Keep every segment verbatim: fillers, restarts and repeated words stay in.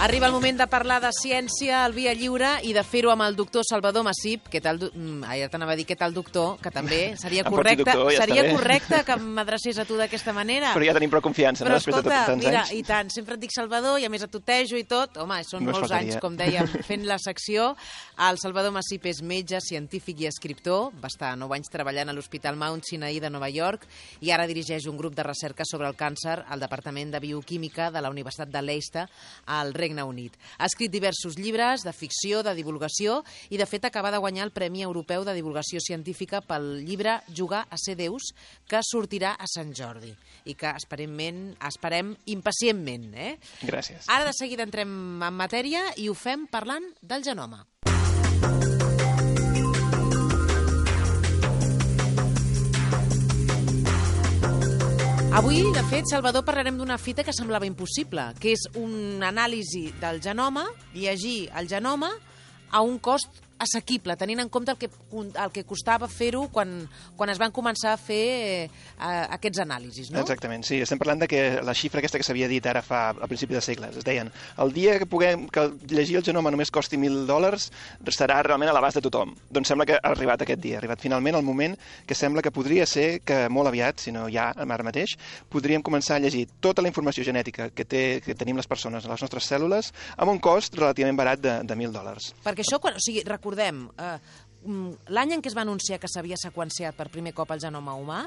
Arriba el moment de parlar de ciència al Via Lliure i de fer-ho amb el doctor Salvador Massip. Què tal, ah, ja t'anava a dir què tal, doctor, que també seria correcte, doctor, ja seria correcte que m'adrecés a tu d'aquesta manera. Però ja tenim prou confiança, Però, no? Després escolta, de tants mira, anys. I tant, sempre et dic Salvador i a més et tutejo i tot. Home, són No es molts faltaria. anys, com dèiem, fent la secció. El Salvador Massip és metge, científic i escriptor. Va estar nou anys treballant a l'Hospital Mount Sinai de Nova York i ara dirigeix un grup de recerca sobre el càncer al Departament de Bioquímica de la Universitat de Leicester al Regne Unit. Ha escrit diversos llibres de ficció, de divulgació i, de fet, acaba de guanyar el Premi Europeu de Divulgació Científica pel llibre Jugar a ser Déus, que sortirà a Sant Jordi i que esperem, esperem impacientment. Eh? Gràcies. Ara de seguida entrem en matèria i ho fem parlant del genoma. Avui, de fet, Salvador, parlarem d'una fita que semblava impossible, que és una anàlisi del genoma, llegir el genoma a un cost assequible, tenint en compte el que, el que costava fer-ho quan, quan es van començar a fer eh, aquests anàlisis, no? Exactament, sí. Estem parlant de que la xifra aquesta que s'havia dit ara fa a principi de segles, es deien, el dia que puguem que llegir el genoma només costi mil dòlars, serà realment a l'abast de tothom. Doncs sembla que ha arribat aquest dia, ha arribat finalment el moment que sembla que podria ser que molt aviat, si no ja ara mateix, podríem començar a llegir tota la informació genètica que, té, que tenim les persones a les nostres cèl·lules amb un cost relativament barat de, de mil dòlars. Perquè això, quan, o sigui, recordem, eh, l'any en què es va anunciar que s'havia seqüenciat per primer cop el genoma humà,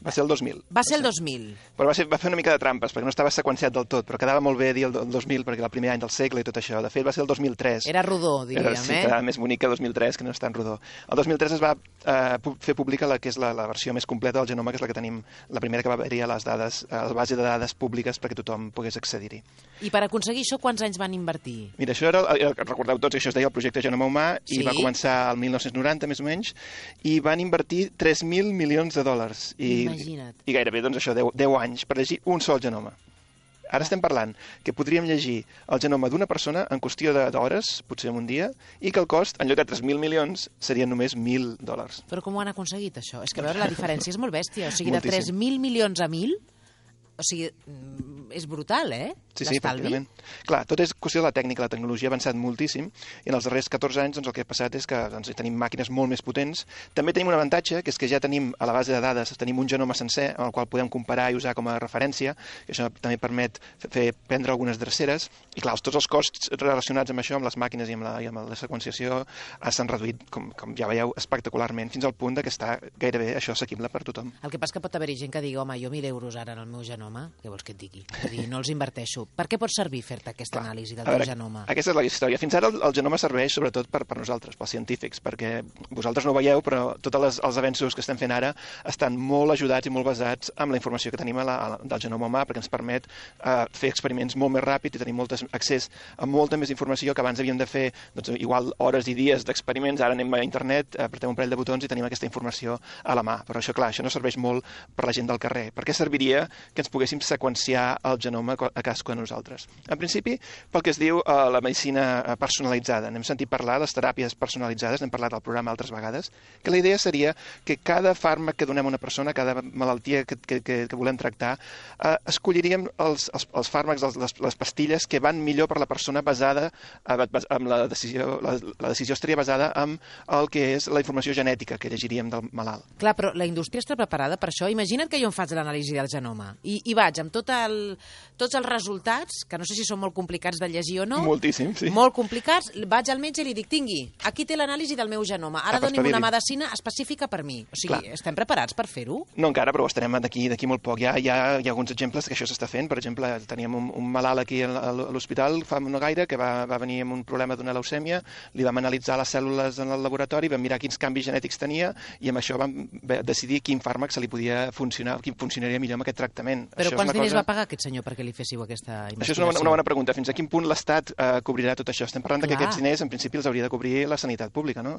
va ser el dos mil. Va ser el dos mil. Però va, ser, va fer una mica de trampes, perquè no estava seqüenciat del tot, però quedava molt bé dir el dos mil, perquè era el primer any del segle i tot això. De fet, va ser el dos mil tres. Era rodó, diríem, era, sí, eh? Era més bonic que dos mil tres, que no és tan rodó. El dos mil tres es va eh, fer pública la que és la, la versió més completa del genoma, que és la que tenim, la primera que va haver-hi a les dades, a la base de dades públiques perquè tothom pogués accedir-hi. I per aconseguir això, quants anys van invertir? Mira, això era, era recordeu tots, això es deia el projecte Genoma Humà, Sí. i va començar el mil nou-cents noranta, més o menys, i van invertir tres mil milions de dòlars. I, Imagina't. I gairebé, doncs això, deu anys per llegir un sol genoma. Ara estem parlant que podríem llegir el genoma d'una persona en qüestió d'hores, potser en un dia, i que el cost, en lloc de tres mil milions, serien només mil dòlars. Però com ho han aconseguit, això? És que, a veure, la diferència és molt bèstia. O sigui, de Moltíssim. tres mil milions a mil, o sigui, és brutal, eh? Sí, sí, pràcticament. Clar, tot és qüestió de la tècnica, la tecnologia ha avançat moltíssim i en els darrers catorze anys doncs, el que ha passat és que doncs, tenim màquines molt més potents. També tenim un avantatge, que és que ja tenim a la base de dades, tenim un genoma sencer amb el qual podem comparar i usar com a referència, i això també permet fer prendre algunes dreceres, i clar, tots els costs relacionats amb això, amb les màquines i amb la, i amb la seqüenciació, s'han reduït, com, com ja veieu, espectacularment, fins al punt de que està gairebé això assequible per tothom. El que passa que pot haver-hi gent que digui, home, jo mil euros ara en el meu genoma, què vols que et digui? És a dir, no els inverteixo. Per què pot servir fer-te aquesta Clar. anàlisi del A veure, teu genoma? Aquesta és la història. Fins ara el, el genoma serveix sobretot per, per nosaltres, pels científics, perquè vosaltres no ho veieu, però tots els avenços que estem fent ara estan molt ajudats i molt basats en la informació que tenim a la, a la, del genoma humà, perquè ens permet eh, fer experiments molt més ràpid i tenir molt accés a molta més informació que abans havíem de fer doncs, igual hores i dies d'experiments. Ara anem a internet, apretem un parell de botons i tenim aquesta informació a la mà. Però això, clar, això no serveix molt per la gent del carrer. Per què serviria que ens poguéssim seqüenciar el genoma a cadascú de nosaltres? En principi, pel que es diu eh, la medicina personalitzada. N'hem sentit parlar, les teràpies personalitzades, n'hem parlat al programa altres vegades, que la idea seria que cada fàrmac que donem a una persona, cada malaltia que, que, que, que volem tractar, eh, escolliríem els, els, els fàrmacs, les, les pastilles que van millor per la persona basada, eh, amb la decisió, la, la decisió estaria basada en el que és la informació genètica que llegiríem del malalt. Clar, però la indústria està preparada per això. Imagina't que jo em faig l'anàlisi del genoma i, i vaig amb tot el, tots els resultats, que no sé si són molt complicats de llegir o no. Moltíssim, sí. Molt complicats. Vaig al metge i li dic, tingui, aquí té l'anàlisi del meu genoma. Ara Ah, doni'm una espavili. medicina específica per mi. O sigui, Clar. estem preparats per fer-ho? No encara, però ho estarem d'aquí d'aquí molt poc. Hi ha, hi, ha, hi ha alguns exemples que això s'està fent. Per exemple, teníem un, un malalt aquí a l'hospital fa no gaire que va, va venir amb un problema d'una leucèmia, li vam analitzar les cèl·lules en el laboratori, vam mirar quins canvis genètics tenia i amb això vam decidir quin fàrmac se li podia funcionar, quin funcionaria millor amb aquest tractament. Però això quants diners cosa... va pagar aquest senyor perquè li féssiu aquesta investigació? Això és una, una bona pregunta. Fins a quin punt l'Estat eh, cobrirà tot això? Estem parlant de que Clar. aquests diners, en principi, els hauria de cobrir la sanitat pública, no?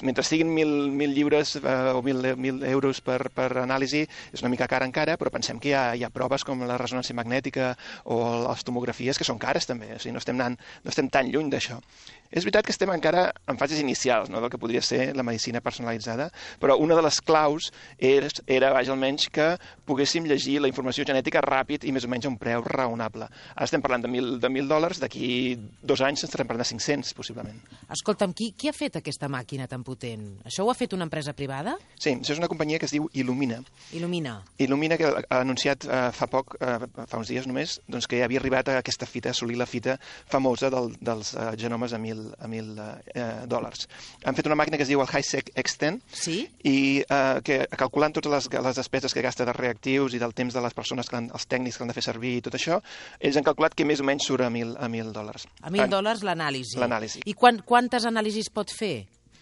Mentre siguin mil, mil lliures eh, o mil, mil euros per, per anàlisi, és una mica cara encara, però pensem que hi ha, hi ha proves com la ressonància magnètica o les tomografies que són cares també, o sigui, no estem, anant, no estem tan lluny d'això. És veritat que estem encara en fases inicials, no?, del que podria ser la medicina personalitzada, però una de les claus era, era vaja, almenys que poguéssim llegir la informació genètica ràpid i més o menys a un preu raonable. Ara estem parlant de mil, de mil dòlars, d'aquí dos anys estarem parlant de cinc-cents, possiblement. Escolta'm, qui, qui ha fet aquesta màquina tan potent? Això ho ha fet una empresa privada? Sí, això és una companyia que es diu Illumina. Illumina. Illumina, que ha anunciat eh, fa poc, eh, fa uns dies només, doncs que ja havia arribat a aquesta fita, a assolir la fita famosa del, dels eh, genomes a mil, a mil eh, dòlars. Han fet una màquina que es diu el HiSeq X deu sí? i eh, que calculant totes les, les despeses que gasta de reactius i del temps de les persones, que han, els tècnics que han de fer servir i tot això, ells han calculat que més o menys surt a mil, a mil dòlars. A mil dòlars l'anàlisi. L'anàlisi. I quan, quantes anàlisis pot fer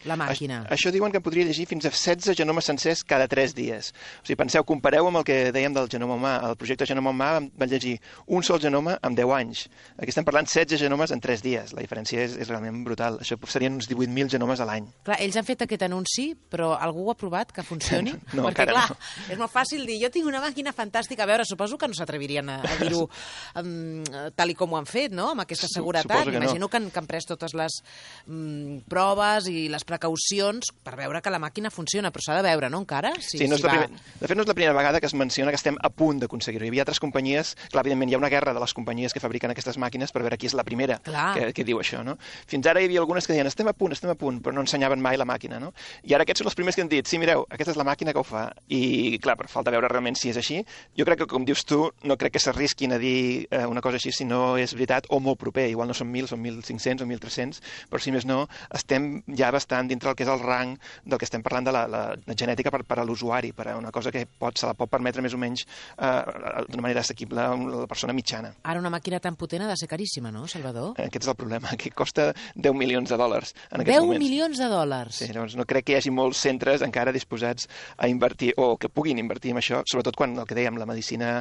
la màquina? Això diuen que podria llegir fins a setze genomes sencers cada tres dies. O sigui, penseu, compareu amb el que dèiem del genoma humà. El projecte Genoma Humà va llegir un sol genoma en deu anys. Aquí estem parlant setze genomes en tres dies. La diferència és, és realment brutal. Això serien uns divuit mil genomes a l'any. Clar, ells han fet aquest anunci, però algú ho ha provat que funcioni? No, perquè, encara clar, no. És molt fàcil dir, jo tinc una màquina fantàstica. A veure, suposo que no s'atrevirien a, a dir-ho um, tal i com ho han fet, no?, amb aquesta seguretat. M'imagino no. que, han, que han pres totes les um, proves i les precaucions per veure que la màquina funciona, però s'ha de veure, no, encara? Si, sí, no és si la va... primer... De fet, no és la primera vegada que es menciona que estem a punt d'aconseguir-ho. Hi havia altres companyies, clar, evidentment hi ha una guerra de les companyies que fabriquen aquestes màquines per veure qui és la primera que, que diu això, no? Fins ara hi havia algunes que deien estem a punt, estem a punt, però no ensenyaven mai la màquina, no? I ara aquests són els primers que han dit, sí, mireu, aquesta és la màquina que ho fa. I, clar, per falta veure realment si és així, jo crec que, com dius tu, no crec que s'arrisquin a dir eh, una cosa així si no és veritat o molt proper. Igual no són mil, són mil cinc-cents o mil tres-cents, però si més no, estem ja bastant dintre el que és el rang del que estem parlant de la, la, la genètica per, per a l'usuari, per a una cosa que pot, se la pot permetre més o menys eh, d'una manera assequible a la persona mitjana. Ara una màquina tan potent ha de ser caríssima, no, Salvador? Aquest és el problema, que costa deu milions de dòlars en aquests deu moments. deu milions de dòlars? Sí, llavors no crec que hi hagi molts centres encara disposats a invertir, o que puguin invertir en això, sobretot quan, el que dèiem, la medicina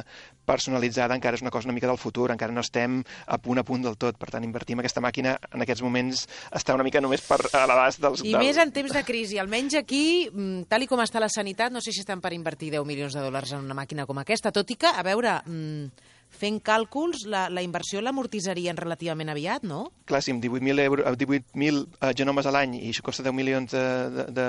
personalitzada encara és una cosa una mica del futur, encara no estem a punt a punt del tot, per tant, invertir en aquesta màquina en aquests moments està una mica només per a l'abast dels... I del... més en temps de crisi, almenys aquí, tal i com està la sanitat, no sé si estan per invertir deu milions de dòlars en una màquina com aquesta, tot i que, a veure, fent càlculs, la, la inversió l'amortitzarien relativament aviat, no? Clar, sí, amb divuit mil uh, genomes a l'any i això costa deu milions de, de, de,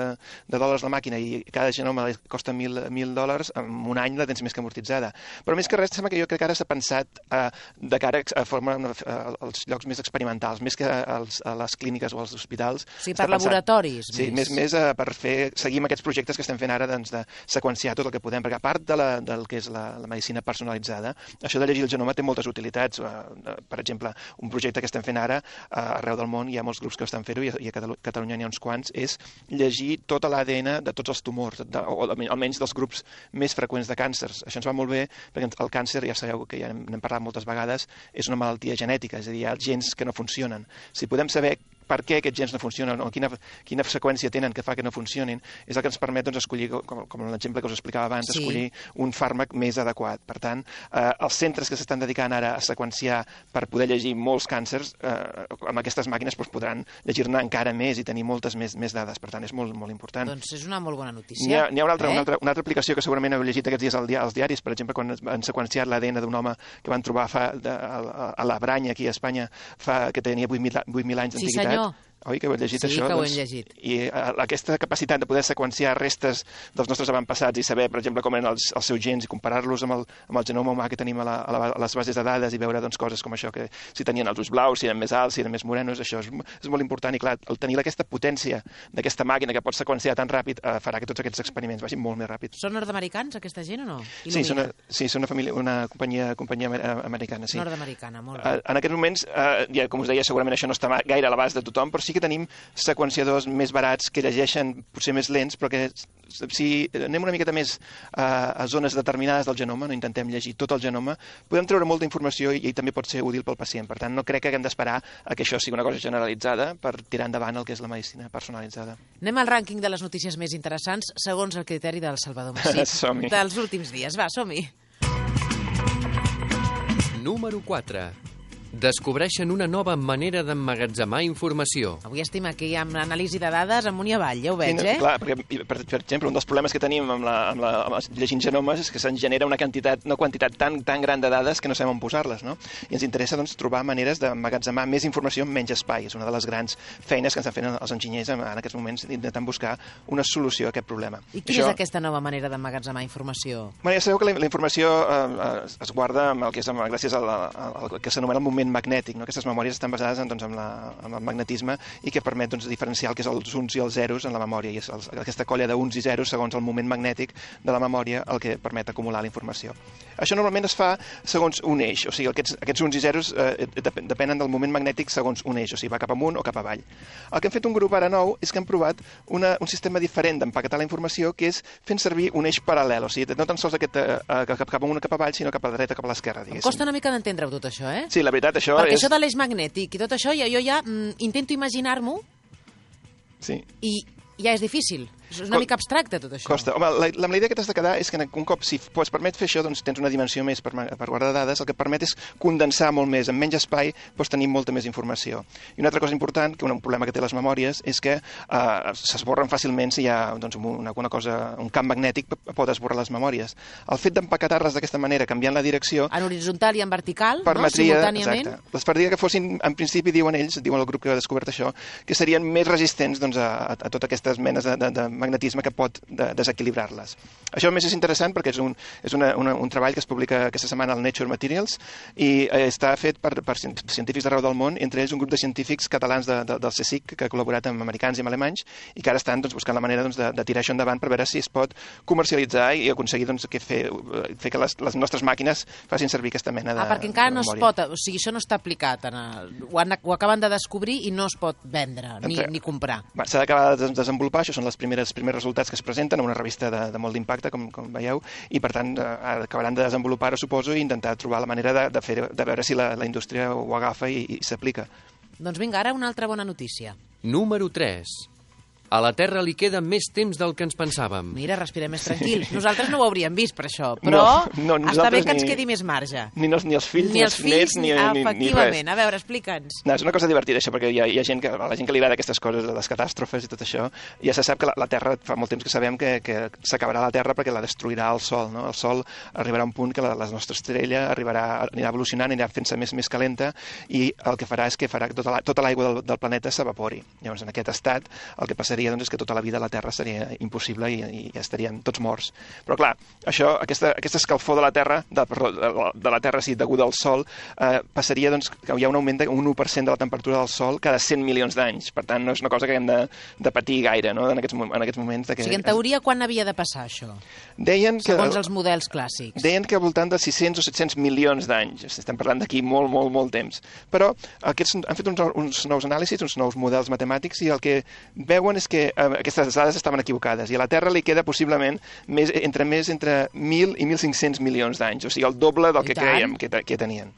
de dòlars la màquina i cada genoma costa mil dòlars, en un any la tens més que amortitzada. Però més que res, sembla que jo crec que ara s'ha pensat uh, de cara a formar uh, els llocs més experimentals, més que als, a les clíniques o als hospitals. Sí, per laboratoris. Sí, més, més uh, per fer, seguir amb aquests projectes que estem fent ara, doncs, de seqüenciar tot el que podem, perquè a part de la, del que és la, la medicina personalitzada, això de llegir el genoma té moltes utilitats. Per exemple, un projecte que estem fent ara arreu del món, hi ha molts grups que estan fent-ho i a Catalunya n'hi ha uns quants, és llegir tota l'A D N de tots els tumors, de, o almenys dels grups més freqüents de càncers. Això ens va molt bé perquè el càncer, ja sabeu que ja n'hem parlat moltes vegades, és una malaltia genètica, és a dir, hi ha gens que no funcionen. Si podem saber per què aquests gens no funcionen o quina, quina seqüència tenen que fa que no funcionin, és el que ens permet doncs, escollir, com, com l'exemple que us explicava abans, sí. escollir un fàrmac més adequat. Per tant, eh, els centres que s'estan dedicant ara a seqüenciar per poder llegir molts càncers, eh, amb aquestes màquines doncs, podran llegir-ne encara més i tenir moltes més, més dades. Per tant, és molt, molt important. Doncs és una molt bona notícia. N'hi ha, n'hi ha una, altra, eh? una, altra, una altra aplicació que segurament heu llegit aquests dies al dia, als diaris, per exemple, quan han seqüenciat l'A D N d'un home que van trobar fa, de, a, a la Branya, aquí a Espanya, fa, que tenia vuit mil anys d'antiguitat. Sí, senyor. Oi, que ho heu llegit, sí, això? Sí, que ho doncs, hem llegit. I uh, aquesta capacitat de poder seqüenciar restes dels nostres avantpassats i saber, per exemple, com eren els, els seus gens i comparar-los amb, el, amb el genoma humà que tenim a, la, a, la, a les bases de dades i veure doncs, coses com això, que si tenien els ulls blaus, si eren més alts, si eren més morenos, això és, és molt important. I clar, el tenir aquesta potència d'aquesta màquina que pot seqüenciar tan ràpid uh, farà que tots aquests experiments vagin molt més ràpid. Són nord-americans, aquesta gent, o no? Sí, són una, sí, són una, família, una companyia, companyia americana. Sí. Nord-americana, molt bé. Uh, en aquests moments, uh, ja, com us deia, segurament això no està gaire a l'abast de tothom, però sí que tenim seqüenciadors més barats que llegeixen potser més lents, però que si anem una miqueta més a, a zones determinades del genoma, no intentem llegir tot el genoma, podem treure molta informació i, i també pot ser útil pel pacient. Per tant, no crec que haguem d'esperar a que això sigui una cosa generalitzada per tirar endavant el que és la medicina personalitzada. Anem al rànquing de les notícies més interessants segons el criteri del Salvador Masip dels últims dies. Va, som-hi! Número quatre. Descobreixen una nova manera d'emmagatzemar informació. Avui estem aquí amb l'anàlisi de dades amunt i avall, ja ho veig, eh? Clar, perquè, per, per exemple, un dels problemes que tenim amb, la, amb, la, amb llegint genomes és que se'n genera una quantitat, una quantitat tan, tan gran de dades que no sabem on posar-les, no? I ens interessa doncs, trobar maneres d'emmagatzemar més informació en menys espai. És una de les grans feines que ens estan fent els enginyers en, en aquests moments, intentant buscar una solució a aquest problema. I quina Això... és aquesta nova manera d'emmagatzemar informació? Bueno, ja sabeu que la, la informació eh, es guarda amb el que és, amb, gràcies al, al, al que s'anomena el moment magnètic, no? Aquestes memòries estan basades en, doncs, en, la, en el magnetisme i que permet doncs, diferenciar el que és els uns i els zeros en la memòria. I és el, aquesta colla d'uns i zeros segons el moment magnètic de la memòria el que permet acumular la informació. Això normalment es fa segons un eix, o sigui, aquests, aquests uns i zeros eh, depenen del moment magnètic segons un eix, o sigui, va cap amunt o cap avall. El que hem fet un grup ara nou és que hem provat una, un sistema diferent d'empaquetar la informació, que és fent servir un eix paral·lel, o sigui, no tan sols aquest, eh, cap, cap amunt o cap avall, sinó cap a la dreta, cap a l'esquerra, diguéssim. Em costa una mica d'entendre-ho tot això, eh? Sí, la veritat, això Perquè és... això de l'eix magnètic i tot això, jo, jo ja mm, intento imaginar-m'ho sí. i ja és difícil. És una mica abstracte, tot això. Costa. Home, la, la, la idea que t'has de quedar és que un cop, si es permet fer això, doncs tens una dimensió més per, per guardar dades, el que permet és condensar molt més, en menys espai pots tenir molta més informació. I una altra cosa important, que un problema que té les memòries, és que eh, s'esborren fàcilment si hi ha doncs, una, una cosa, un camp magnètic pot esborrar les memòries. El fet d'empaquetar-les d'aquesta manera, canviant la direcció... En horitzontal i en vertical, permetria, no? Simultàniament. Exacte. Les permetria que fossin, en principi, diuen ells, diuen el grup que ha descobert això, que serien més resistents doncs, a, a, a totes aquestes menes de, de, de magnetisme que pot de desequilibrar-les. Això a més és interessant perquè és, un, és una, una, un treball que es publica aquesta setmana al Nature Materials i eh, està fet per, per científics d'arreu del món, entre ells un grup de científics catalans de, de, del CSIC que ha col·laborat amb americans i amb alemanys i que ara estan doncs, buscant la manera doncs, de, de tirar això endavant per veure si es pot comercialitzar i aconseguir doncs, que fer, fer que les, les nostres màquines facin servir aquesta mena de Ah, perquè encara de no es pot, o sigui, això no està aplicat, en el, ho, han, ho acaben de descobrir i no es pot vendre ni, Entre... ni comprar. S'ha d'acabar de desenvolupar, això són els primers, primers resultats que es presenten a una revista de, de molt d'impacte, com, com veieu, i per tant eh, acabaran de desenvolupar-ho, suposo, i intentar trobar la manera de, de, fer, de veure si la, la indústria ho agafa i, i s'aplica. Doncs vinga, ara una altra bona notícia. Número tres. A la Terra li queda més temps del que ens pensàvem. Mira, respirem més tranquils. Nosaltres no ho hauríem vist per això, però no, no, està bé que ni, ens quedi més marge. Ni, els, ni els fills, ni, ni els nets, ni, ni, ni res. A veure, explica'ns. No, és una cosa divertida, això, perquè hi ha, hi ha gent que, a la gent que li agrada aquestes coses, les catàstrofes i tot això, ja se sap que la, la Terra, fa molt temps que sabem que, que s'acabarà la Terra perquè la destruirà el Sol, no? El Sol arribarà a un punt que la, la nostra estrella arribarà, anirà evolucionant, anirà fent-se més, més calenta i el que farà és que farà que tota l'aigua tota del, del planeta s'evapori. Llavors, en aquest estat, el que passaria doncs, és que tota la vida la Terra seria impossible i, i ja estaríem tots morts. Però clar, això, aquesta, aquesta escalfor de la Terra, de, perdó, de, de la Terra sí, deguda al Sol, eh, passaria doncs, que hi ha un augment d'un u per cent de la temperatura del Sol cada cent milions d'anys. Per tant, no és una cosa que hem de, de patir gaire, no?, en aquests, en aquests moments. De que, o sigui, en teoria, quan havia de passar això? Deien que, segons els models clàssics. Deien que al voltant de sis-cents o set-cents milions d'anys. Estem parlant d'aquí molt, molt, molt temps. Però aquests, han fet uns, uns nous anàlisis, uns nous models matemàtics, i el que veuen és que eh, aquestes dades estaven equivocades i a la Terra li queda possiblement més, entre més entre mil i mil cinc-cents milions d'anys, o sigui, el doble del que creiem que, que tenien.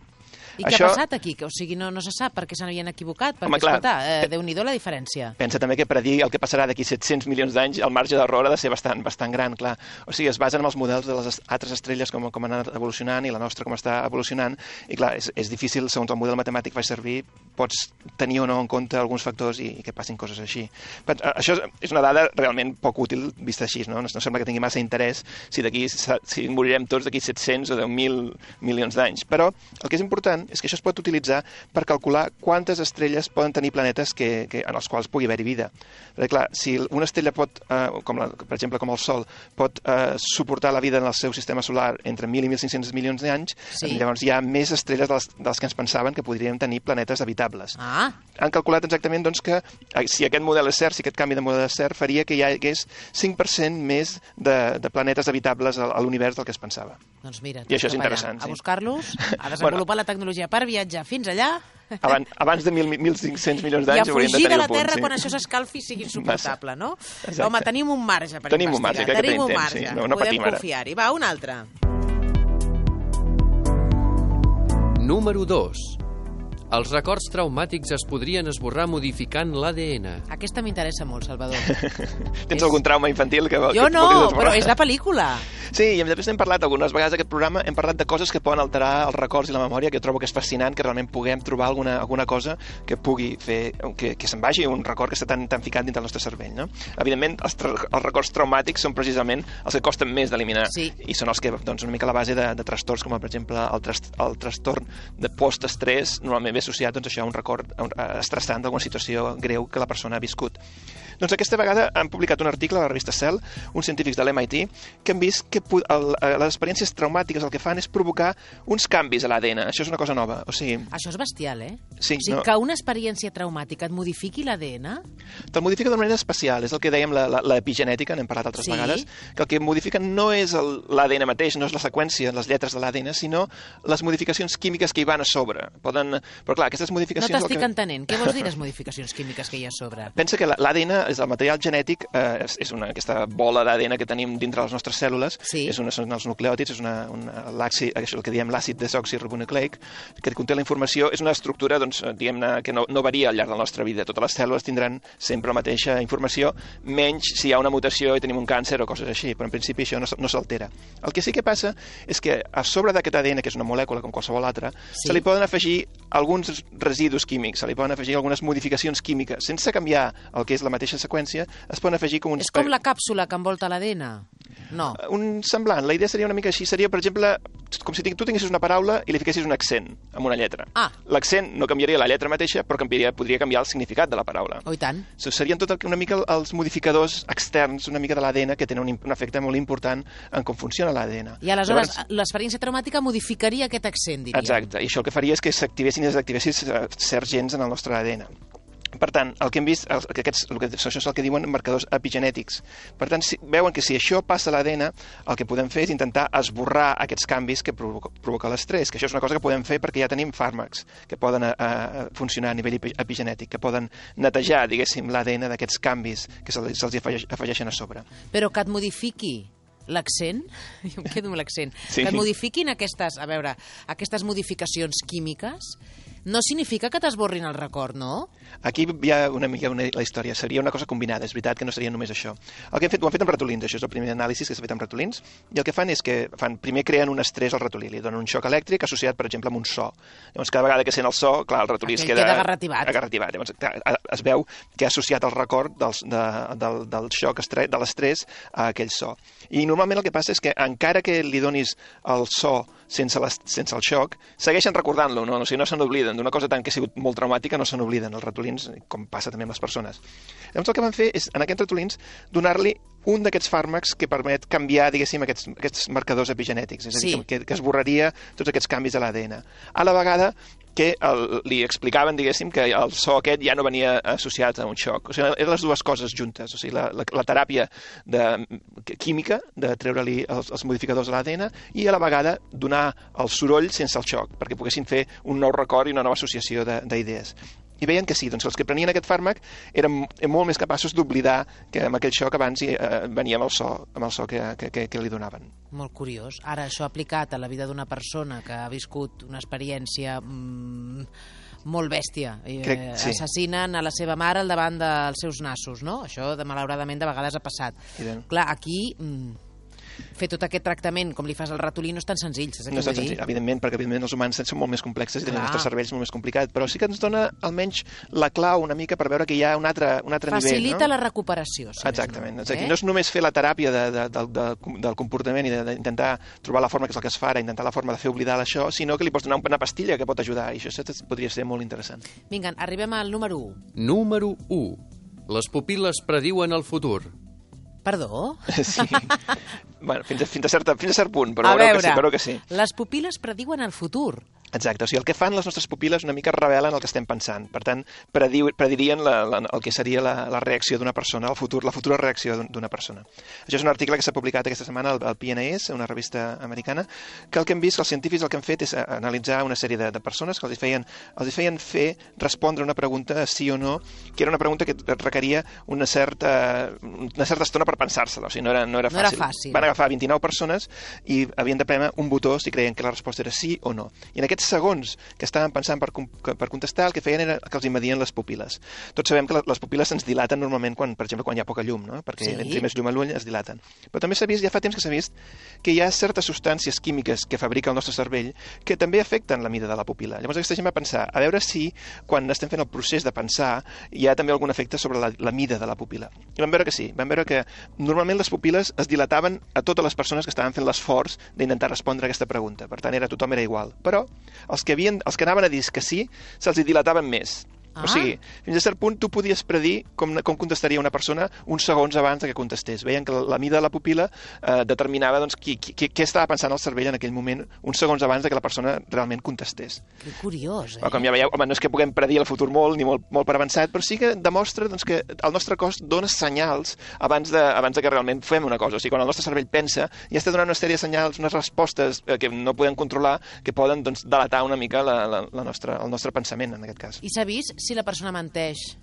I què Això... ha passat aquí? O sigui, no, no se sap per què se n'havien equivocat, perquè, Home, clar, escolta, eh, Déu-n'hi-do la diferència. Pensa també que predir el que passarà d'aquí set-cents milions d'anys, el marge d'error ha de ser bastant, bastant gran, clar. O sigui, es basen en els models de les altres estrelles com, com han anat evolucionant i la nostra com està evolucionant, i clar, és, és difícil, segons el model matemàtic que faig servir, pots tenir o no en compte alguns factors i, i que passin coses així. Però, això és una dada realment poc útil vista així, no? No, no sembla que tingui massa interès si d'aquí si morirem tots d'aquí set-cents o deu mil milions d'anys. Però el que és important és que això es pot utilitzar per calcular quantes estrelles poden tenir planetes que, que, en els quals pugui haver-hi vida. Perquè, clar, si una estrella pot, eh, com la, per exemple, com el Sol, pot eh, suportar la vida en el seu sistema solar entre mil i mil cinc-cents milions d'anys, sí. Llavors hi ha més estrelles de les, de les que ens pensaven que podríem tenir planetes habitables. Ah. Han calculat exactament doncs, que si aquest model és cert, si aquest canvi de model és cert, faria que hi hagués cinc per cent més de, de planetes habitables a, a l'univers del que es pensava. Doncs mira, i això és interessant. A buscar-los, a desenvolupar bueno, la tecnologia per viatjar fins allà. Abans, abans de mil cinc-cents milions d'anys hauríem de tenir un punt. I a fugir de la Terra sí. quan això s'escalfi sigui insuportable, no? Exacte. Home, tenim un marge per tenim investigar. Un marge, tenim un temps, marge, sí. no, no podem confiar-hi. Va, un altre. Número dos. Els records traumàtics es podrien esborrar modificant l'A D N. Aquesta m'interessa molt, Salvador. Tens és... algun trauma infantil que Jo que no, però és de pel·lícula. Sí, i després hem parlat algunes vegades d'aquest programa, hem parlat de coses que poden alterar els records i la memòria, que jo trobo que és fascinant, que realment puguem trobar alguna, alguna cosa que pugui fer que, que se'n vagi un record que està tan, tan ficat dins del nostre cervell, no? Evidentment, els, els records traumàtics són precisament els que costen més d'eliminar, sí. I són els que, doncs, una mica la base de, de trastorns, com per exemple el, tras, el trastorn de post-estrès, normalment ve associat, doncs, això a un record estressant d'alguna situació greu que la persona ha viscut. Doncs aquesta vegada han publicat un article a la revista Cell, uns científics de l'M I T, que han vist que el, les experiències traumàtiques el que fan és provocar uns canvis a l'A D N. Això és una cosa nova. O sigui, això és bestial, eh? Sí, o sigui, no... que una experiència traumàtica et modifiqui l'A D N? Te'l modifica d'una manera especial. És el que dèiem l'epigenètica, n'hem parlat altres sí? vegades, que el que modifica no és l'A D N mateix, no és la seqüència, les lletres de l'A D N, sinó les modificacions químiques que hi van a sobre. Poden... Però clar, aquestes modificacions... No t'estic que... entenent. Què vols dir les modificacions químiques que hi ha a sobre? Pensa que l'A D N és el material genètic, eh, és una, aquesta bola d'A D N que tenim dintre les nostres cèl·lules, sí. és una, són els nucleòtids, és una, una, l'àcid, això el que diem l'àcid desoxiribonucleic, que conté la informació, és una estructura, doncs, diguem-ne, que no, no varia al llarg de la nostra vida. Totes les cèl·lules tindran sempre la mateixa informació, menys si hi ha una mutació i tenim un càncer o coses així, però en principi això no, no s'altera. El que sí que passa és que a sobre d'aquest A D N, que és una molècula com qualsevol altra, sí. Se li poden afegir alguns residus químics, se li poden afegir algunes modificacions químiques, sense canviar el que és la mateixa seqüència, es poden afegir com uns... És com la càpsula que envolta l'A D N? No. Un semblant. La idea seria una mica així. Seria, per exemple, com si tu tinguessis una paraula i li fiquessis un accent amb una lletra. Ah. L'accent no canviaria la lletra mateixa, però canviaria, podria canviar el significat de la paraula. Oh, i tant. So, serien tot el, una mica els modificadors externs, una mica de l'A D N, que tenen un, un efecte molt important en com funciona l'A D N. I aleshores Llavors, l'experiència traumàtica modificaria aquest accent, diríem. Exacte. I això el que faria és que s'activessin i desactivessin certs gens en el nostre A D N. Per tant, el que hem vist, el, que aquests, el que, això és el que diuen marcadors epigenètics. Per tant, si, veuen que si això passa a l'A D N, el que podem fer és intentar esborrar aquests canvis que provoca, provoca l'estrès, que això és una cosa que podem fer perquè ja tenim fàrmacs que poden uh, funcionar a nivell epigenètic, que poden netejar, diguéssim, l'A D N d'aquests canvis que se'ls se afegeix, afegeixen a sobre. Però que et modifiqui l'accent, jo em quedo amb l'accent, sí. que et modifiquin aquestes, a veure, aquestes modificacions químiques, no significa que t'esborrin el record, no? Aquí hi ha una mica una, la història. Seria una cosa combinada, és veritat que no seria només això. El que hem fet, ho han fet amb ratolins, això és el primer anàlisi que s'ha fet amb ratolins, i el que fan és que fan, primer creen un estrès al ratolí, li donen un xoc elèctric associat, per exemple, amb un so. Llavors, cada vegada que sent el so, clar, el ratolí es queda... queda agarrativat. agarrativat. Llavors, clar, es veu que ha associat el record dels, de, del, del xoc, de l'estrès, a aquell so. I normalment el que passa és que, encara que li donis el so sense, les, sense el xoc, segueixen recordant-lo, no? O sigui, no se n'obliden. D'una cosa tant que ha sigut molt traumàtica no se n'obliden els ratolins, com passa també amb les persones. Llavors el que van fer és, en aquests ratolins, donar-li un d'aquests fàrmacs que permet canviar, diguéssim, aquests, aquests marcadors epigenètics, és a dir, sí. que, que esborraria tots aquests canvis de l'A D N. A la vegada que el, li explicaven, diguéssim, que el so aquest ja no venia associat a un xoc. O sigui, eren les dues coses juntes. O sigui, la, la, la teràpia de, química, de treure-li els, els modificadors de l'A D N, i a la vegada donar el soroll sense el xoc, perquè poguessin fer un nou record i una nova associació d'idees. I veien que sí, doncs els que prenien aquest fàrmac eren molt més capaços d'oblidar que amb aquell xoc abans eh, venia amb el so, amb el so que, que, que, que li donaven. Molt curiós. Ara, això aplicat a la vida d'una persona que ha viscut una experiència mmm, molt bèstia. Crec, sí. Assassinen a la seva mare al davant dels seus nassos, no? Això, de, malauradament, de vegades ha passat. Clar, aquí... Mmm, fer tot aquest tractament com li fas al ratolí no és tan senzill, saps què no és tan vull dir? Senzill, evidentment, perquè evidentment els humans són molt més complexes i tenen els nostres cervells molt més complicat, però sí que ens dona almenys la clau una mica per veure que hi ha un altre, un altre Facilita nivell. Facilita no? la recuperació. Si Exactament. No, eh? eh? No és només fer la teràpia de, de, de, de, del comportament i d'intentar trobar la forma que és el que es fa ara, intentar la forma de fer oblidar això, sinó que li pots donar una pastilla que pot ajudar, i això podria ser molt interessant. Vinga, arribem al número u. Número u. Les pupil·les prediuen el futur. Perdó? Sí. Bueno, fins a, fins a, certa, fins a cert punt, però a veureu veure, que sí, veureu que sí. Les pupil·les prediuen el futur. Exacte, o sigui, el que fan les nostres pupil·les una mica revelen el que estem pensant. Per tant, prediu, predirien la, la, el que seria la, la reacció d'una persona, el futur, la futura reacció d'una persona. Això és un article que s'ha publicat aquesta setmana al, al P N A S, una revista americana, que el que hem vist, que els científics el que han fet és analitzar una sèrie de, de persones que els feien, els feien fer respondre una pregunta sí o no, que era una pregunta que requeria una certa, una certa estona per pensar-se-la, o sigui, no era, no era fàcil. No era fàcil. Van agafar vint-i-nou persones i havien de prémer un botó si creien que la resposta era sí o no. I en aquests aquests segons que estaven pensant per, per contestar, el que feien era que els hi medien les pupil·les. Tots sabem que les pupil·les se'ns dilaten normalment, quan, per exemple, quan hi ha poca llum, no? Perquè sí. Entri més llum a l'ull es dilaten. Però també s'ha vist, ja fa temps que s'ha vist, que hi ha certes substàncies químiques que fabrica el nostre cervell que també afecten la mida de la pupil·la. Llavors aquesta gent va pensar, a veure si quan estem fent el procés de pensar hi ha també algun efecte sobre la, la mida de la pupil·la. I vam veure que sí, vam veure que normalment les pupil·les es dilataven a totes les persones que estaven fent l'esforç d'intentar respondre a aquesta pregunta. Per tant, era, tothom era igual. Però els que, havien, els que anaven a dir que sí, se'ls hi dilataven més. Ah. O sigui, fins a cert punt tu podies predir com, com contestaria una persona uns segons abans de que contestés. Veien que la, la mida de la pupil·la eh, determinava doncs, qui, qui, què estava pensant el cervell en aquell moment uns segons abans de que la persona realment contestés. Que curiós, eh? Però, com ja veieu, home, no és que puguem predir el futur molt ni molt, molt per avançat, però sí que demostra doncs, que el nostre cos dona senyals abans de, abans de que realment fem una cosa. O sigui, quan el nostre cervell pensa, ja està donant una sèrie de senyals, unes respostes eh, que no podem controlar, que poden doncs, delatar una mica la, la, la nostra, el nostre pensament, en aquest cas. I s'ha vist si la persona menteix?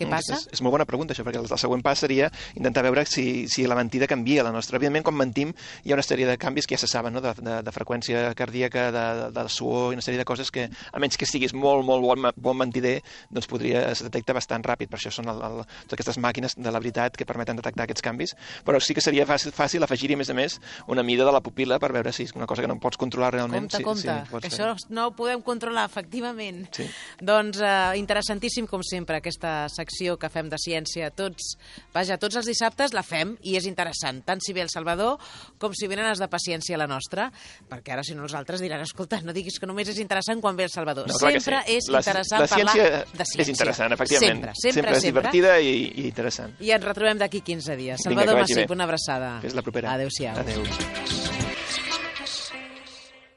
Què passa? És, és molt bona pregunta, això, perquè el, el següent pas seria intentar veure si, si la mentida canvia la nostra. Evidentment, quan mentim, hi ha una sèrie de canvis que ja se saben, no? de, de, de freqüència cardíaca, de, de, de suor, i una sèrie de coses que, a menys que siguis molt, molt bon, bon mentider, doncs podria, es detecta bastant ràpid. Per això són el, el, totes aquestes màquines de la veritat que permeten detectar aquests canvis. Però sí que seria fàcil, fàcil afegir-hi, a més a més, una mida de la pupil·la per veure si és una cosa que no pots controlar realment. Compte, sí, compte, sí, que això no ho podem controlar, efectivament. Sí. Doncs eh, interessantíssim, com sempre, aquesta secció que fem de ciència. Tots, vaja, tots els dissabtes la fem i és interessant, tant si ve el Salvador com si venen els de paciència a la nostra, perquè ara si no els altres diran, escolta, no diguis que només és interessant quan ve el Salvador. No, sempre sí. és la, interessant la parlar de ciència. És interessant, efectivament. Sempre, sempre, sempre és sempre. divertida i, i interessant. I ens retrobem d'aquí quinze dies. Vinga, Salvador Massip, una abraçada. Fins la propera. Adéu-siau. Adéu.